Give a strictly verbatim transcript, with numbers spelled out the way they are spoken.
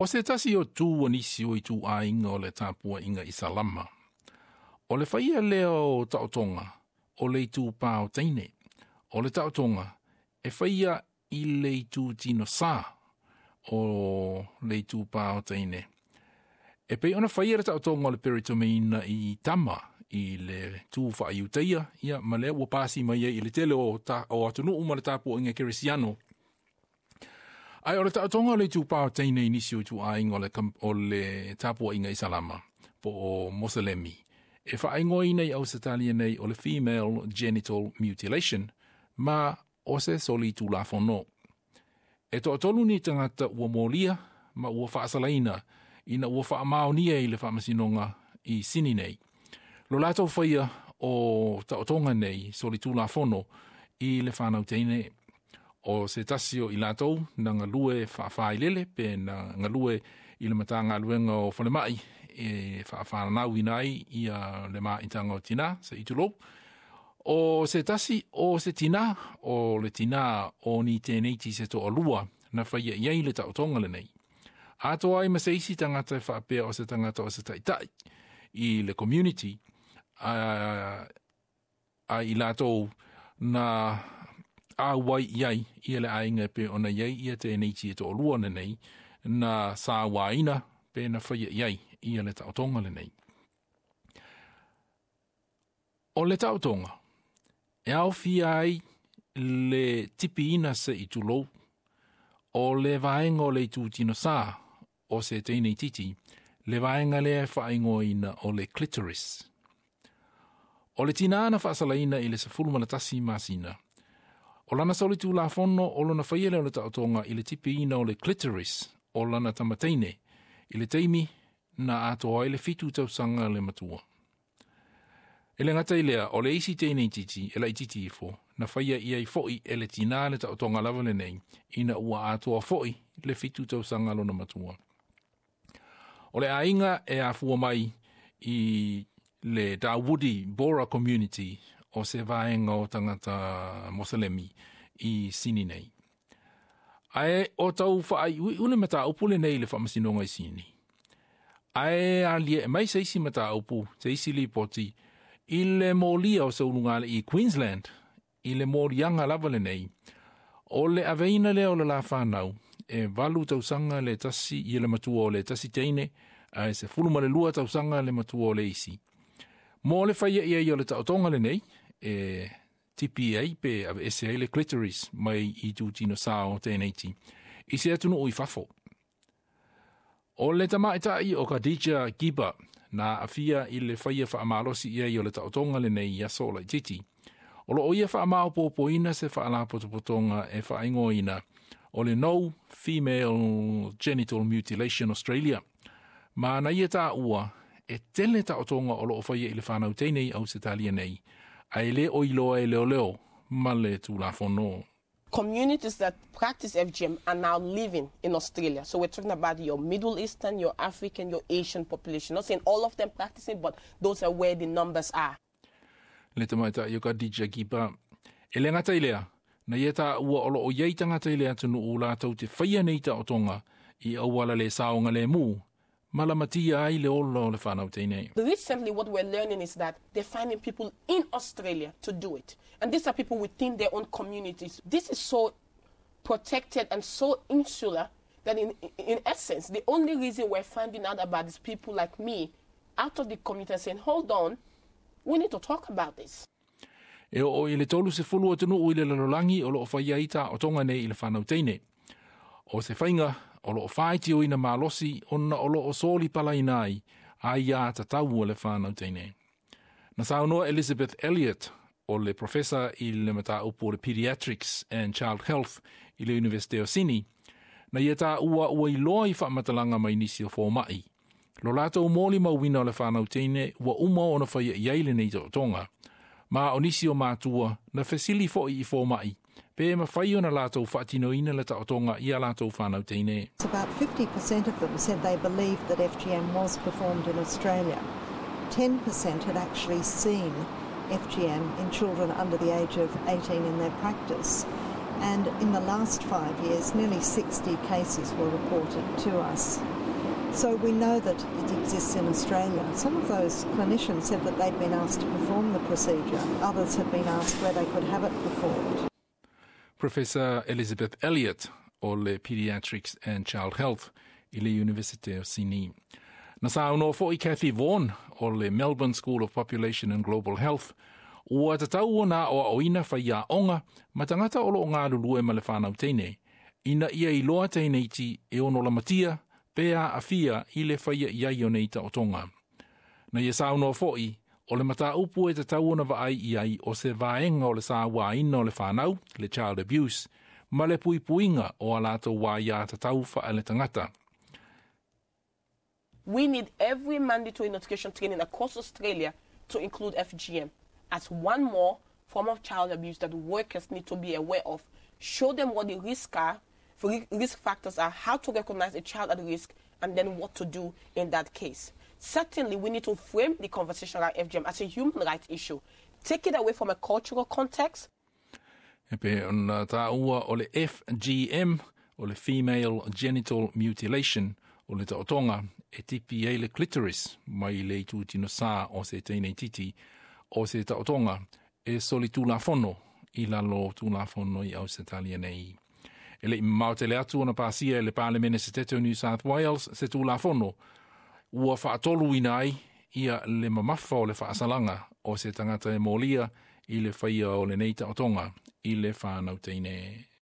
O se tasi o tu o nisi o ituaiga o le tapuaiga Isalama. O le faia lea o taotoga o le itupā o teine. O le taotoga e faia i le itu tinosā o le itupā o teine. E pei ona faia le taotoga o le peritomeina i tama i le tu faaiutaia, ia ma lea ua pasi mai ai i le tele o, ta, o atunuu ma le tapuaiga kerisiano. Ae o le taotoga o le itupā o teine i nisi o ituaiga o le, o le tapuaiga Isalama po o Moselemi, e faaigoaina i Ausetalia nei o le female genital mutilation, ma o se soli tulafono. E toatolu ni tagata ua molia ma ua faasalaina ina ua faamaonia i le faamasinoga i Sini nei lo latou faia o taotoga nei soli tulafono i le fanau teine. O se tasi o i latou na galue faafailele pe na galue i le Matagaluega o Falemai e faafanauina ai ia le maitaga o tinā se i tulou. O se tasi o se tinā o le tinā o ni tēneiti se toalua na faia i ai le taotoga lenei. Atoa ai ma se isi tagata e faapea o se tagata o se taitai i le community a, a i latou na auai i ai ia le aiga pe ona i ai ia tēneiti e toalua lenei na sauaina pe na faia i ai ia le taotoga lenei. O le taotoga e aofia ai le tipiina se i tulou o le vaega o le itu tinosā o se teine titi, le vaega lea e faaigoaina o le clitoris. O le tinā na faasalaina i le sefulu ma le tasi masina, o lana soli tulafono o lona faia lea o le taotoga i le tipiina o le clitoris o lana tamateine i le taimi na atoa ai le fitu tausaga le matua. E le gata i lea, o le isi teine titi, e laitiiti ifo, na faia i ai fo'i e le tinā le taotoga lava lenei, ina ua atoa fo'i le fitu tausaga lona matua. O le aiga e afua mai i le Dawoodi Bohra Community o se vaega o tagata Moselemi i Sini nei. Ae o tau faaiuiu le mataupu lenei i le faamasinoga i Sini. Ae aliae mai se isi mataupu, se isi lipoti, i le molia o se ulugalii i Queensland, i le moliaga lava lenei, o le aveina lea o le lafanau, e valu tausaga le tasi i le matua o le tasi teine, ae sefulu ma le lua tausaga le matua o le isi. Mo le faia i ai o le taotoga lenei, e tipi ai pe aveese ai le clitoris mai i tutinosā o tēneiti, i se atunuu i fafo. O le tamaitai o Khadija Gibba na aafia i le faia faamalosi i ai o le taotoga lenei i aso laitiiti. O loo ia faamaopoopoina se faalapotopotoga e faaigoaina o le No Female Genital Mutilation Australia. Ma na ia taua e tele taotoga o loo faia i le fanau teine i Ausetalia nei, ae le o iloa e leoleo ma le tulafono. Communities that practice F G M are now living in Australia. So we're talking about your Middle Eastern, your African, your Asian population. Not saying all of them practicing, but those are where the numbers are. Le tamaitai o Khadija Gibba. E le gata i lea, na ia taua o loo iai tagata i le atunuu latou te faia nei taotoga i auala le saogalemu, ma lamatia ai le ola o le fanau teine. Recently, what we're learning is that they're finding people in Australia to do it. And these are people within their own communities. This is so protected and so insular that in, in essence, the only reason we're finding out about is people like me out of the community saying, "Hold on, we need to talk about this." E oo i le tolu sefulu atunuu i le lalolagi o loo faia ai taotoga nei i le fanau teine. O se faiga o loo faitioina malosi ona o loo soli palaina ai aiā tatau o le fanau teine. Na saunoa Elizabeth Elliot, o le professor i le mataupu o le Pediatrics and Child Health i le Universite o Sini, na ia taua ua iloa i faamatalaga mai nisi o fomai lo latou molimauina o le fanau teine ua uma ona faia i ai lenei taotoga. Ma o nisi o matua na fesili fo'i i fomai pe mafai ona latou faatinoina le taotoga i a latou fanau teine. About fifty percent of them said they believed that F G M was performed in Australia. ten percent had actually seen F G M in children under the age of eighteen in their practice. And in the last five years, nearly sixty cases were reported to us. So we know that it exists in Australia. Some of those clinicians said that they'd been asked to perform the procedure. Others had been asked where they could have it performed. Professor Elizabeth Elliott o le Pediatrics and Child Health i le University of Sydney. Na saunoa fo'i Cathy Vaughan o le Melbourne School of Population and Global Health, ua tatau ona aoaoina faiaoga ma tagata o loo galulue ma le fanau teine, ina ia iloa teineiti e ono lamatia pe aafia i le faia i ai o nei taotoga. Na ia saunoa fo'i, o le mataupu e tatau ona vaai i ai o se vaega o le sauaina o le fanau, le child abuse, ma le puipuiga o a latou aiatatau faale-tagata. We need every mandatory notification training across Australia to include F G M as one more form of child abuse that workers need to be aware of. Show them what the risks are, risk factors are, how to recognize a child at risk, and then what to do in that case. Certainly, we need to frame the conversation around F G M as a human rights issue. Take it away from a cultural context. E pei ona taua o le F G M, o le Female Genital Mutilation, o le taotoga e tipi ai le clitoris mai le itutinosā o se teine titi, o se taotoga e solitulafono i lalo tulafono i Ausetalia nei. E le i mamao tele atu ona pasia e le Palemene Setete o New South Wales se tulafono ua faatoluina ai ia le mamafa o le faasalaga o se tagata e molia i le faia o lenei taotoga i le fanau teine.